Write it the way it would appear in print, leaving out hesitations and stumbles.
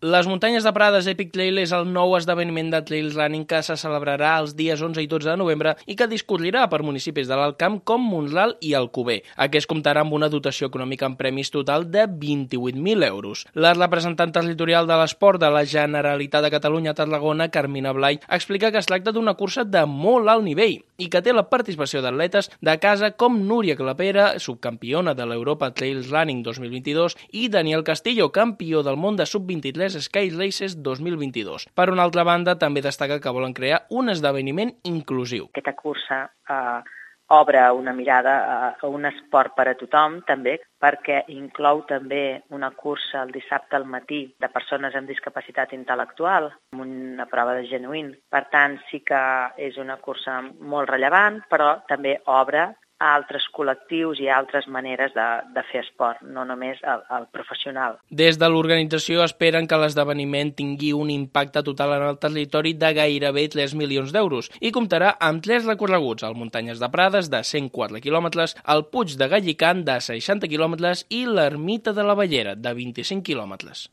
Les muntanyes de Prades Epic Trail és el nou esdeveniment de trail running que se celebrarà els dies 11 i 12 de novembre i que discorrerà per municipis de l'Alt Camp com Mont-ral i Alcover. Aquest comptarà amb una dotació econòmica en premis total de 28.000 euros. La representant territorial de l'esport de la Generalitat de Catalunya a Tarragona, Carmina Blay, explica que es tracta d'una cursa de molt alt nivell i que té la participació d'atletes de casa com Núria Clapera, subcampiona de l'Europa Trail Running 2022, i Daniel Castillo, campió del món de sub-23 Sky Races 2022. Per una altra banda, també destaca que volen crear un esdeveniment inclusiu. Aquesta cursa obre una mirada a un esport per a tothom, també, perquè inclou també una cursa el dissabte al matí de persones amb discapacitat intel·lectual, amb una prova de genuïn. Per tant, sí que és una cursa molt rellevant, però també obre a altres col·lectius i a altres maneres de fer esport, no només el professional. Des de l'organització esperen que l'esdeveniment tingui un impacte total en el territori de gairebé 3 milions d'euros i comptarà amb 3 recorreguts, el Muntanyes de Prades de 104 quilòmetres, el Puig de Gallicant de 60 quilòmetres i l'Ermita de la Bellera de 25 quilòmetres.